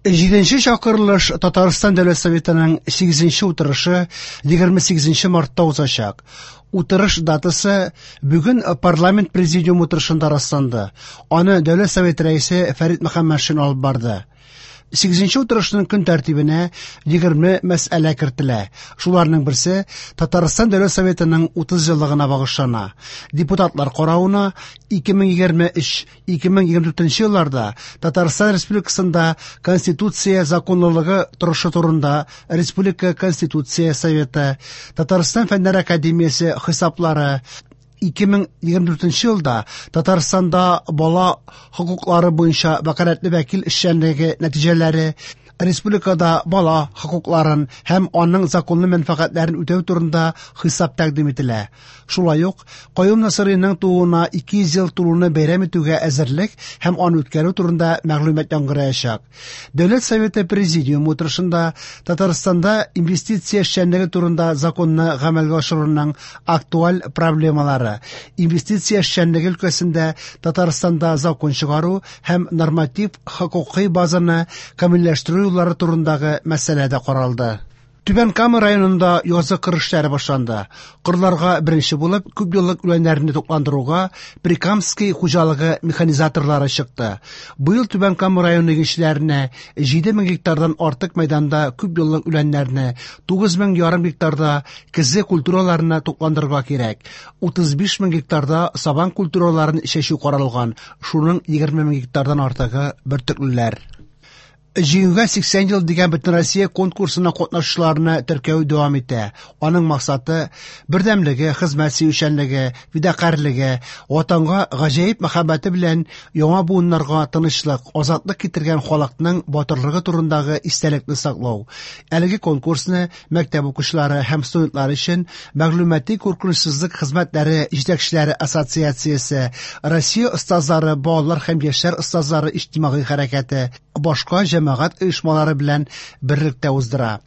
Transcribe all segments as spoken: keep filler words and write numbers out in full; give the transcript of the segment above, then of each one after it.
Җиденче чакырылыш Татарстан Дәүләт Советының сигезенче утырышы егерме сигезенче мартта узачак. Утырыш датасы бүген парламент президиум утырышында расланды. Аны Дәүләт Советы рәисе Фәрит Мөхәммәтшин алып барды. Сигезенче утырышның көн тәртибенә егерме мәсьәлә кертелә. Шуларның берсе Татарстан Дәүләт Советының утыз еллыгына багышлана. Депутатлар каравына ике мең егерме өч — ике мең егерме дүртенче елларда Татарстан Республикасында Конституция законлылыгы торышы турында Республика Конституция Советы, Татарстан Фәннәр Академиясе хисаплары, ике мең егерме дүртенче елда Татарстанда бала хокуклары буенча вәкаләтле вәкил эшчәнлеге нәтиҗәләре, республикада бала хокукларын һәм аның законлы мәнфәгатьләрен үтәү турында хисап тәкъдим ителә. Шулай ук Каюм Насыйриның тууына ике йөз ел тулуны бәйрәм итүгә әзерлек һәм аны үткәрү турында мәгълүмат яңгыраячак. Дәүләт Советы Президиумы утырышында Татарстанда инвестиция эшчәнлеге турында законны гамәлгә ашыруның актуаль проблемалары, инвестиция эшчәнлеге өлкәсендә Татарстанда закон чыгару һәм норматив хокукый базаны камилләштерү юллары турындагы мәсьәлә дә каралды. Түбән Кама районында язгы кыр эшләре башланды. Кырларга беренче булып күп еллык үләннәрне тукландыруга Прикамский хуҗалыгы механизаторлары чыкты. Быел Түбән Кама районы игенчеләренә җиде мең гектардан артык мәйданда күп еллык үләннәрне, тугыз мең ярым гектарда көзге культураларны тукландырырга кирәк. Утыз биш мең гектарда сабан культураларын чәчү каралган, шуның егерме мең гектардан артыгы бөртеклеләр. Җиңүгә сиксән ел дигән Бөтенроссия конкурсына катнашучыларны теркәү дәвам итә. Аның максаты бердәмлеге, хезмәт сөючәнлеге, фидакарьлеге, ватанга гаҗәеп мәхәббәте белән яңа буыннарга тынычлык, азатлык китергән халыкның батырлыгы турындагы истәлекне саклау. Әлеге конкурсны мәктәп укучылары һәм студентлар өчен мәгълүмати куркынычсызлык хезмәтләре җитәкчеләре ассоциациясе, Россия остазлары, балалар һәм яшьләр остазлары иҗтимагый хәрәкәте, башка җәмәгать оешмалары белән берлектә уздыра.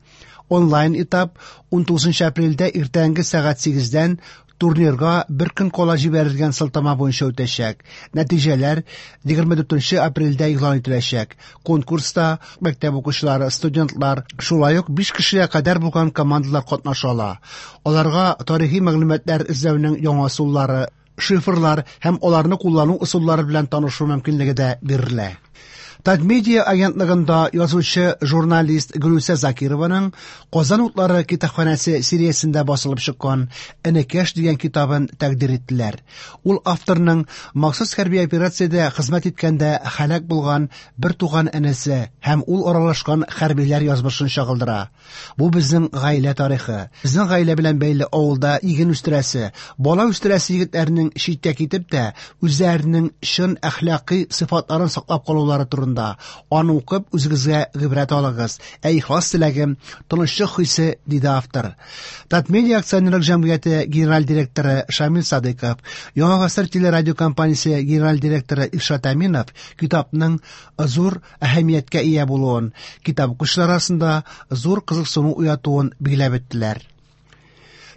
Онлайн этап ун тугызынчы апрельдә иртәнге сәгать сигездән турнирга бер көн кала җибәрелгән сылтама буенча үтәчәк. Нәтиҗәләр егерме дүртенче апрельдә игълан ителәчәк. Конкурста мәктәп укучылары, студентлар, шулай ук биш кешегә кадәр булган командалар катнаша ала. Аларга тарихи мәгълүматлар эзләүнең яңа ысуллары, шифрлар һәм аларны куллану ысуллары белән танышу мөмкинлеге дә бирелә. Татмедиа агентлыгында язучы журналист Гөлүсә Закированың Казан утлары китапханәсе сериясендә басылып чыккан Энекәш дигән китабын тәкъдир иттеләр. Ул авторның махсус хәрби операциядә хезмәт иткәндә һәлак булган бер туган энесе һәм ул аралашкан хәрбиләр язмышын чагылдыра. Бу безнең гаилә тарихы. Безнең гаилә белән бәйле авылда иген үстерәсе, бала үстерәсе егетләрнең читкә китеп тә үзләренең чын әхлакый сыйфатларын саклап калулары турында. Аны укып үзегезгә гыйбрәт алыгыз. Ә ихлас теләгем тынычлык хисе, диде автор. Татмедиа акционерлык җәмгыяте генераль директоры Шамил Садыков, Яңа гасыр телерадиокомпаниясе генераль директоры Илшат Әминов китапның зур әһәмияткә ия булуын, китап укучылар арасында зур кызыксыну уятуын билгеләп үттеләр.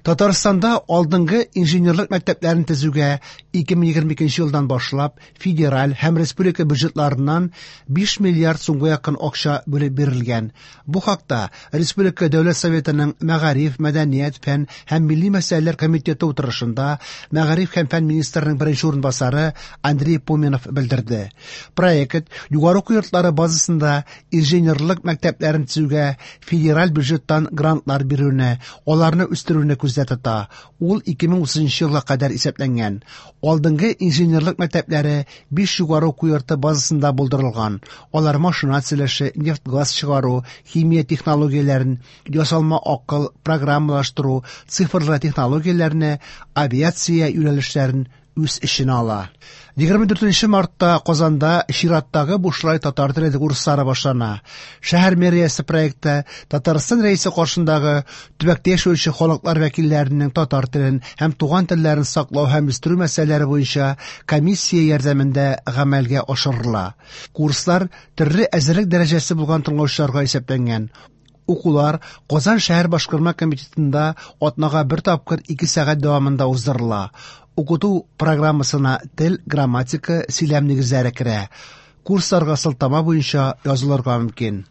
Татарстанда алдынгы инженерлык мәктәпләрен төзүгә ике мең егерме икенче елдан башлап федераль һәм республика бюджетларыннан биш миллиард сумга якын акча бүлеп бирелгән. Бу хакта Республика Дәүләт Советының Мәгариф, мәдәният, фән һәм милли мәсьәләләр комитеты утырышында Мәгариф һәм фән министрының беренче урынбасары Андрей Поминов белдерде. Проект югары уку йортлары базасында инженерлык мәктәпләрен төзүгә федераль бюджеттан грантлар бирүне, аларны үстерүне күздә тота. Ул ике мең утызынчы елга кадәр исәпләнгән. Алдынгы инженерлык мәктәпләре биш югары уку йорты базасында булдырылган. Алар машина төзелеше, нефть-газ чыгару, химия технологияләрен, ясалма акыл, программалаштыру, цифрлы технологияләрне, авиация юнәлешләрен үз эченә ала. Егерме дүртенче мартта Казанда чираттагы бушлай татар теле курслары башлана. Шәһәр мэриясе проекты Татарстан Рәисе каршындагы төбәктә яшәүче халыклар вәкилләренең татар телен һәм туган телләрен саклау һәм үстерү мәсьәләләре буенча комиссия ярдәмендә гамәлгә ашырыла. Курслар төрле әзерлек дәрәҗәсе булган тыңлаучыларга исәпләнгән. Укулар Казан шәһәр башкарма комитетында атнага бер тапкыр ике сәгать дәвамында уздырыла. Укыту программасына тел, грамматика, сөйләм нигезләре керә. Курсларга сылтама буенча язылырга мөмкин.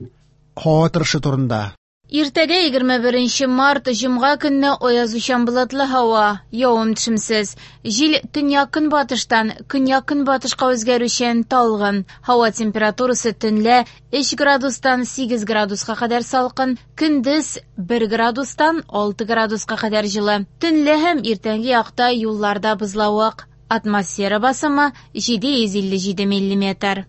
Һава торышы турында. Иртәгә егерме беренче март, җомга көнне аязучан болытлы һава, явым-төшемсез. Җил төньяк-көнбатыштан көньяк-көнбатышка үзгәрүчән талгын. Һава температурасы төнлә өч градустан сигез градуска кадәр салкын, көндез бер градустан алты градуска кадәр җылы. Төнлә һәм иртәнге якта юлларда бозлавык. Атмосфера басымы җиде йөз илле җиде миллиметр.